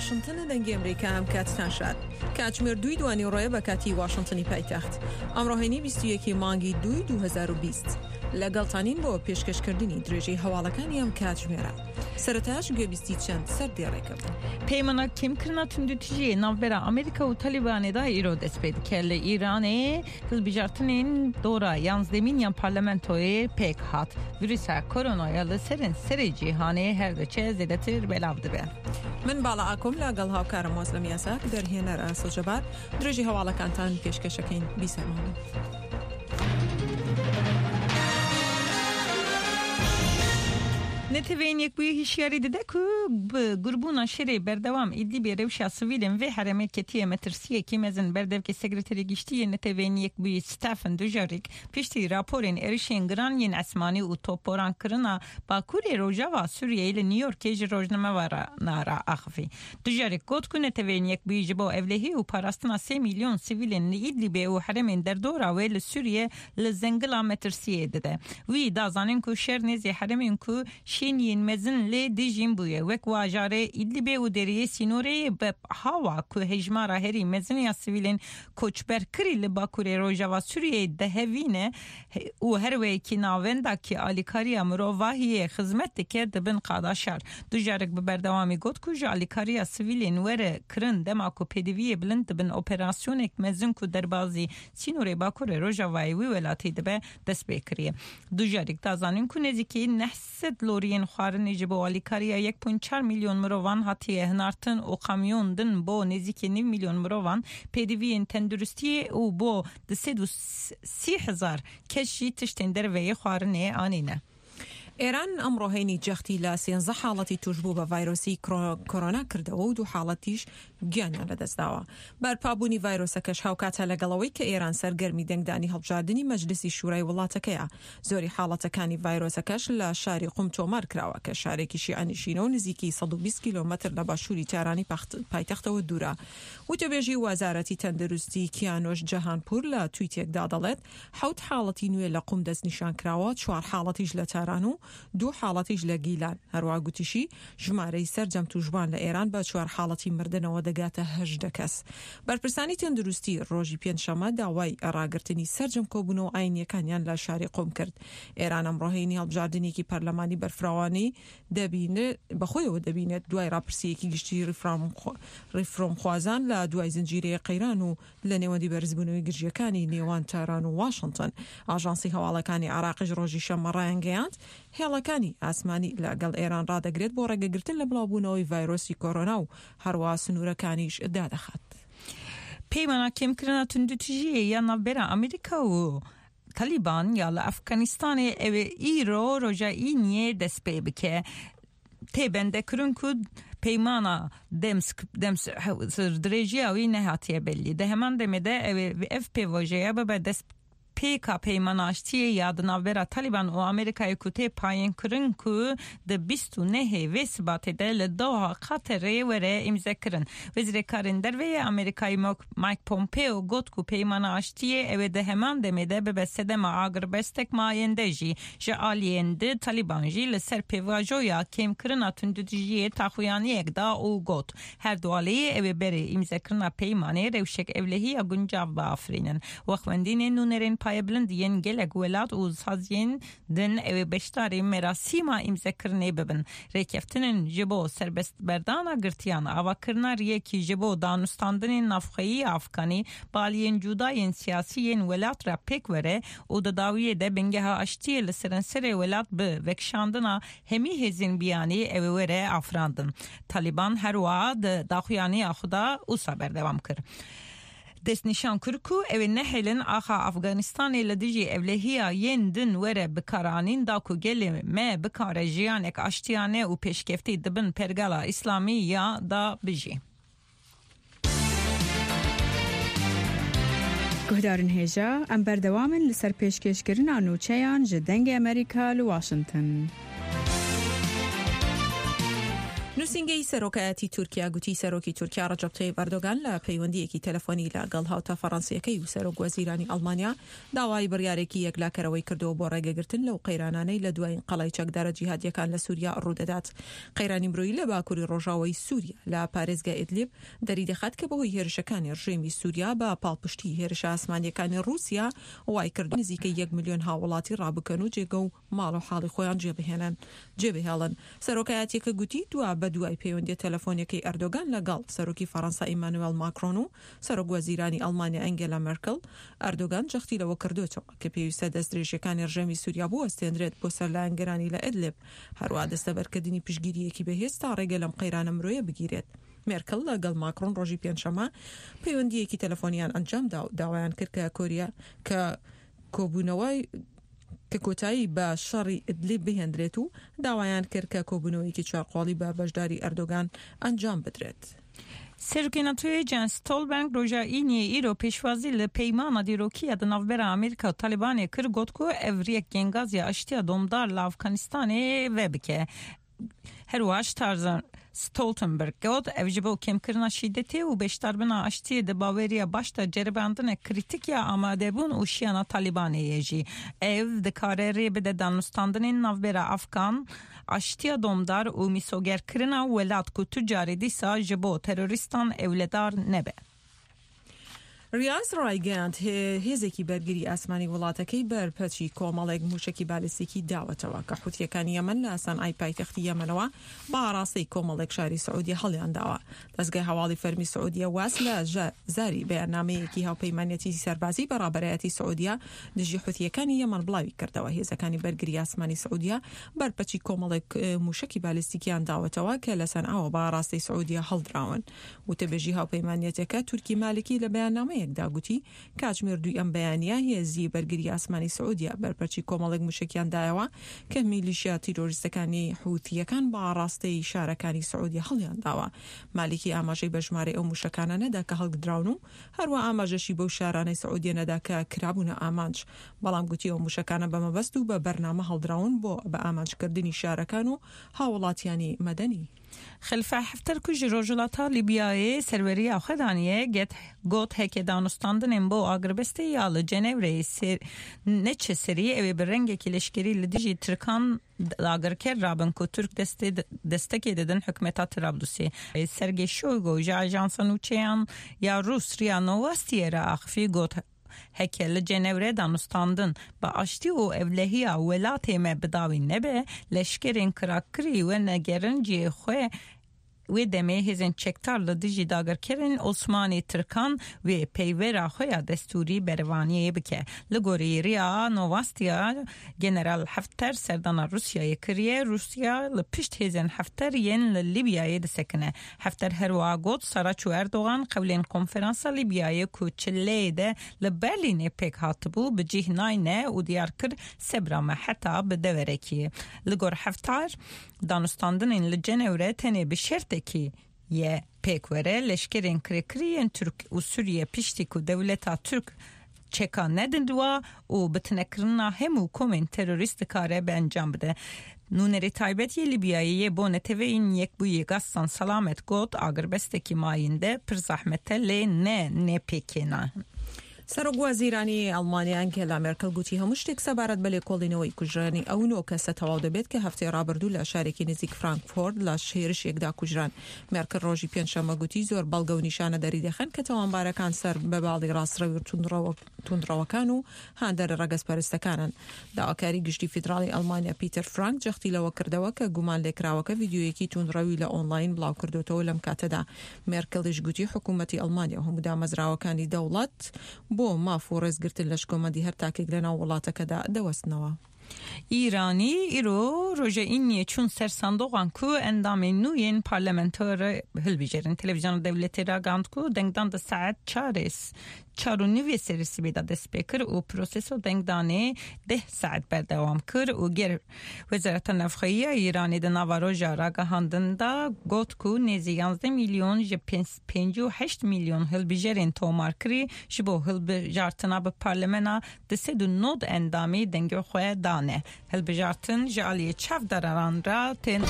واشنتنە دەنگی ئەمریکا ئەم کاتتان شاد. کاتژمێر دووی دوانیوڕۆیە بە کاتی واشنتنی پایتەخت. ئەمڕۆ هەینی 21 ی مانگی دووی 2020. لەگەڵتانین بۆ پێشکەشکردنی درێژەی هەواڵەکانی ئەم کاتژمێرە. سەرەتاش گوێبیستی چەند سەردێڕێکە بوون. Peymana kêmkirina tundûtîjiyê navbera Amerîka û Talîbanê de îro dest pê dike. Li Îranê hilbijartinên dora yanzdemîn ya parlamentoyê pêk hat. Vîrusa koronaya li serên serê cîhanê her diçe zêdetir belav dibe. من باڵا ئاکۆم لەگەڵ هاوکارم وەزلم یاساک دەرهێنەر ئاسۆ جەبار درێژی هەواڵەکانتان پێشکەشەکەین بیسەرمان بن. Neteweyên Yekbûyî hişyarî dide ku bi gurbûna şerê berdewam Îdlîbê rewşa sivîlên vê herêmê ketiye metirsiyekî mezin. Berdevkê Sekreterê Giştî yê Neteweyên Yekbûyî Stephen Dujarric piştî raporên êrişên giran yên esmanî û topborankirina Bakurê Rojava Sûriyeyê li New Yorkê ji rojnamevanan re axivî. Dujarric got ku Neteweyên Yekbûyî ji bo ewlehî û parastina sê mîlyon sivîlên li Îdlîbê û herêmên derdora wê li Sûriyê li zengila metirsiyê dide. Wî da zanîn ku şer nêzî herêmên ku şêniyên mezin lê dijîn bûye wek wajarê Îdlîbê û deriyê sînorê yê Bab Hawa ku hejmara herî mezin ya sivîlên koçberkirî li bakurê Rojava Sûriyeyê dihevîne û her wekî navenda kî alîkariya mirovahiyê xizmet dike dibin qada şer. Dujarric bi berdewamî got ku ji alîkariya sivîlên were kirin dema ku pêdiviyê bilind dibin operasyonek mezin ku derbazî sînorê bakurê rojavayê wî welatî dibe dest pê kiriye. Dujarric da zanîn ku nêzîkî 900 loriyên xwarinê ji bo alîkariya 1.4 mîlyon mirovan hatiye hinartin û kamyon din bo nêzîkî nîv mîlyon mirovan pêdiviyên tenduristiyê û bo 230 hezar kes jî tiştên derveyê xwarinê anîne. ئێران ئەمڕۆ هەینی جەختی لە سێنزە حاڵەتی تووشبوو بە ڤایرۆسی کۆرۆنا کردەوە و دوو حاڵەتیش گیانیان لەدەستداوە. بەرپابوونی ڤایرۆسەکەش هاوکاتە لەگەڵ ئەوەی کە ئێران سەرگەرمی دەنگدانی هەڵبژاردنی مەجلیسی شورای وڵاتەکەیە. زۆری حاڵەتەکانی ڤایرۆسەکەش لە شاری قوم تۆمار کراوە کە شارێکی شیعەنشینە و نزیکەی 120 کیلۆمەتر لە باشووری تارانی پایتەختەوە دوورە. وتەبێژی وەزارەتی تەندروستی کیانۆش جەهانپوور لە تویتێکدا دەڵێت، حەوت حاڵەتی نوێ لە قوم دەستنیشانکراوە، چوار حاڵەتیش لە تاران و دوو حاڵەتیش لە گیلان. هەروەها گوتیشی، ژمارەی سەرجەم تووشبووان لە ئێران بە چوار حاڵەتی مردنەوە دەگاتە 18 کەس. بەرپرسانی تەندروستی ڕۆژی پێنجشەممە داوای ڕاگرتنی سەرجەم کۆبوونەوە ئاینییەکانیان لە شاری قوم کرد. ئێران ئەمڕۆ هەینی هەڵبژاردنێکی پەرلەمانی بەرفراوانی دەبینێت بەخۆیەوە دەبینێت دوای ڕاپرسییەکی گشتی ڕیفرۆمخوازان لە دوای زنجیرەیەک قەیران و لە نێوەندی بەرزبوونەوەی گرژییەکانی نێوان تاران و واشنتن، ئاژانسی هەواڵەکانی عێراقیش ڕۆژی شەممە ڕایانگەیاند، هێڵەکانی ئاسمانی لە گەڵ ئێران ڕادەگرێت بۆ ڕێگەگرتن لە بڵاوبوونەوەی ڤایرۆسی کۆرۆنا و هەروا سنوورەکانیش دادەخات. Peymana kêmkirina tundûtîjiyê ya navbera Amerîka û Talîban ya li Efganistanê ew ê îro roja Îniyê dest pê bike. Tê bendekirin ku peymana demdirêjiya wî nehatiye bellî. Di heman demê de ew ê ev pêvajoya bibe destpêka peymana aştiyê ya di navbera Talîban û Amerîkayê ku tê payînkirin ku di 29 ê vê sibatê de li Doha, Qaterê were îmzekirin. Wezîrê Karên Derve yê Amerîkayê Mike Pompeo got ku peymana aştiyê ew ê di heman demê de bibe sedema agirbestek mayende jî. Ji aliyên di Talîban jî li ser pêvajoya kêmkirina tundûtîjiyê taxuyaniyek da û got, Her du aliyê ew ê berê îmzekirina peymanê rewşek ewlehiya guncav biafirînin. Wexwendînên nûnerên payebilind yên gelek welat û saziyên din ew ê beşdarî merasîma îmzekirinê bibin. Rêkeftinên ji bo serbestberdana girtiyan, avakirina riyekî ji bo danûstandinên navxweyî Afganî bi aliyên cuda yên siyasî yên welat re pêk were û di dawiyê de bingeha aştiyê li seranserê welat bi vekişandina hemî hêzên biyanî ew ê were afirandin. Talîban her wiha di daxuyaniya xwe de wisa berdewam kir. Destnîşan kir ku ew ê nehêlin axa Afganistanê li dijî ewlehiya yên din were bikaranîn da ku gelê me bikare jiyanek aştiyane û pêşkeftî di bin pergala îslamî ya da bijî. Guhdarên hêja, em berdewam in li ser pêşkêşkirina nûçeyan ji Dengê Amerîka li Washington. نووسینگەی سەرۆکایەتی تورکیا گوتی سەرۆکی تورکیا ڕەجەب تەیب ئەردۆگان لە پەیوەندییەکی تەلەفۆنی لەگەڵ هاوتا فەڕەنسییەکەی و سەرۆک وەزیرانی ئەڵمانیا داوای بڕیارێکی یەکلاکەرەوەی کردووە بۆ ڕێگەگرتن لەو قەیرانانەی لە دوایین قەڵای چەکدارە جیهادییەکان لە سوریا ڕوودەدات. قەیرانی مرۆیی لە باکووری ڕۆژاوای سوریا لە پارێزگای ئیدلیب دەریدەخات کە بەهۆی هێرشەکانی ڕژێمی سوریا بە پاڵپشتی هێرشە ئاسمانییەکانی ڕووسیا وایکردووە نزیکەی یەک ملیۆن هاووڵاتی ڕابکەن و جێگە و ماڵ و حاڵی خۆیان جێبهێنن جێبهێڵن. سەرۆکایەتییەکە گوتی، دوا بە دوای پەیوەندییە تەلەفۆنییەکەی ئەردۆگان لە گەڵ سەرۆکی فەڕەنسا ئیمانوێڵ ماکرۆن و سەرۆک وەزیرانی ئەڵمانیا ئەنگێلا مێرکڵ، ئەردۆگان جەختی لەوە کردۆتەوە کە پێویستە دەستدرێژییەکانی ڕژێمی سوریا بوەستێندرێت بۆ سەر لایەنگرانی لە ئیدلیب، هەروەها دەستەبەرکردنی پشتگیرییەکی بەهێز تا ڕێگە لەم قەیرانە مرۆیە بگیرێت. مێرکڵ لە گەڵ ماکرۆن ڕۆژی پێنجشەممە پەیوەندییەکی تەلەفۆنییان ئەنجامدا و داوایان کرد کە کۆریا کە کۆبوونەوەی کە کۆتایی بە شەڕی ئیدلیب بهێندرێت و داوایان کرد کە کۆبوونەوەیەکی چوارقۆڵی بە بەشداری ئەردۆگان ئەنجام بدرێت. سەرۆکی ناتۆیê Jens Stoltenberg roja Îniyê îro pêşwazî li peymana dîrokî ya di navbera Amerîka û Talîbanê kir got ku ev riyek gengaziya aştiya domdar li Afganistanê vebike. Herwiha Tarzan Stoltenberg got, ev ji bo kêmkirina şîdetê û beşdarbûna aştiyê di baweriya baş de ceribandinek krîtîk ya amadebûn û şiyana Talîbanê ye jî. Ev dikare rê bide danûstandinên navbera Afgan, aştiya domdar û mîsogerkirina welat ku tu carê dîsa ji bo terorîstan ewledar nebe. ریاز رایگەیاند، هێزێکی بەرگری ئاسمانی وڵاتەکەی بەرپەرچی کۆمەڵێک مووشەکی بالیستیکی داوەتەوە کە حوتییەکانی یەمەن لە سەنعای پایتەختی یەمەنەوە بە ئاڕاستەی کۆمەڵێک شاری سعودیە هەڵیانداوە. دەزگای هەواڵی فەرمی سعودیە واس لە زاری بەیاننامەیەکی هاوپەیمانیەتی سەربازی بە ڕابەرایەتی سعودیە دژی حوتییەکانی یەمەن بڵاویکردەوە، هێزەکانی بەرگری ئاسمانی سعودیە بەرپەچی کۆمەڵێک مووشەکی بالیستیکیان داوەتەوە کە لە سەنعاوە بە ئاڕاستەی سعودیە هەڵدراون. وتەبێژی هاوپەیمانیەتەکە تورکی مالکی لە بەیاننامەیەکدا گوتی، کاتژمێر دووی ئەم بەیانییە هێزی بەرگری ئاسمانی سعودیە بەرپەرچی کۆمەڵێک موشەکیان دایەوە کە میلیشیا تیرۆریستەکانی حوثییەکان بە ئاڕاستەی شارەکانی سعودیە هەڵیانداوە. مالکی ئاماژەی بە ژمارەی ئەو موشەکانە نەدا کە هەڵگدراون و هەروا ئاماژەشی بەو شارانەی سعودیە نەدا کە کرابوونە ئامانج، بەڵام گوتی ئەو موشەکانە بە مەبەست و بە بەرنامە هەڵدراون بۆ بە ئامانجکردنی شارەکان و هاووڵاتیانی مەدەنی. Xelîfe Hefter ku ji rojhilata Lîbyayê serweriya xwe daniye, get got heke danûstandinên bo agirbestê ya li Cenevreyê ser neçe serî ew ê bi rengekî leşkerî li dijî Tirkan dagirker rabin ku Tirk destê destekê didin hikûmeta Trablusê. Sergey Shoigu ji ajansa nûçeyan ya Rûs Ria Novostiyê re axivî got, Heke li Cenewre danûstandin bi aştî û ewlehiya welatê me bi dawî nebe, leşkerên kirakirî wenegerin cihê xwe, wê demê hêzên çekdar li dijî dagirkerên Osmanî Tirkan wê peyvera xwe ya destûrî berevaniyê bike. Li gorî Ria Novostiya General Hefter serdana Rûsyayê kiriye, Rûsya li pişt hêzên Hefter yên li Lîbyayê disekine. Hefter her wiha got, Saraç û Erdogan qewlên konferansa Lîbyayê ku çileyê de li Berlînê pêk hatibû bi cih nayne û diyar kir sebra me heta bi deverekî. Li gor Heftar, danûstandinên li Cenewre tenê bi şertekî ye pêk were, leşkerên kirêkirî yên Tirk û Sûriye piştî ku dewleta Tirk çeka nedin wa û bi tinekirina hemû komên terorîst dikare bi encam bide. Nûnerê taybet yê Lîbyayê yê bo Neteweyên Yekbûyî Gassan Salamet got, Agirbestekî mayînde pir zehmet e lê ne nêpêkêne. سەرۆک وەزیرانی ئەڵمانیا ئەنگێلا مێرکڵ گوتی هەموو شتێک سەبارەت بە لێکۆڵینەوەی کوژرانی ئەو نۆ کەسە تەواو دەبێت کە هەفتەی ڕابردوو لە شارێکی نزیک فرانکفۆرت لە هێرشێکدا کوژران. مێرکڵ ڕۆژی پێنجشەممە گوتی زۆر بەڵگە و نیشانە دەریدەخەن کە تاوانبارەکان سەر بە باڵی ڕاستڕەوی توندڕەوەکان و هاندەرە ڕەگەزپەرستەکانن. داواکاری گشتی فیدراڵی ئەڵمانیا پیتەر فرانک جەختی لەوە کردەوە کە گومانلێکراوەکە ڤیدیۆیەکی توندڕەوی لە ئۆنڵاین بڵاوکردۆتەوە لەم کاتەدا مێرکڵیش گوتی حکوومەتی ئەڵمانیا و هەموو دامەزراوەکانی دەوڵەت بۆ ماف و ڕێزگرتن لە شکۆمەندی هەر تاکێک لەناو وڵاتەکەدا دەوەستنەوە. Îranî îro roja Îniyê çûn ser sandoqan ku endamên nû yên parlamentoyê hilbijêrin. Televîzyona dewletê ragihand ku dengdan di saet çarê çar û nîvê serê sibê de dest pê kir û proseso dengdanê deh saet berdewam kir û ger Wezareta Navxweyî ya Îranê di nava roja ragihandin de got ku nêzî 11 mîlyon ji 58 mîlyon hilbijêrên tomarkirî ji bo hilbijartina bi parlamena 290 endamî dengê xwe dane. Hilbijartin ji aliyê çavdaran re tên.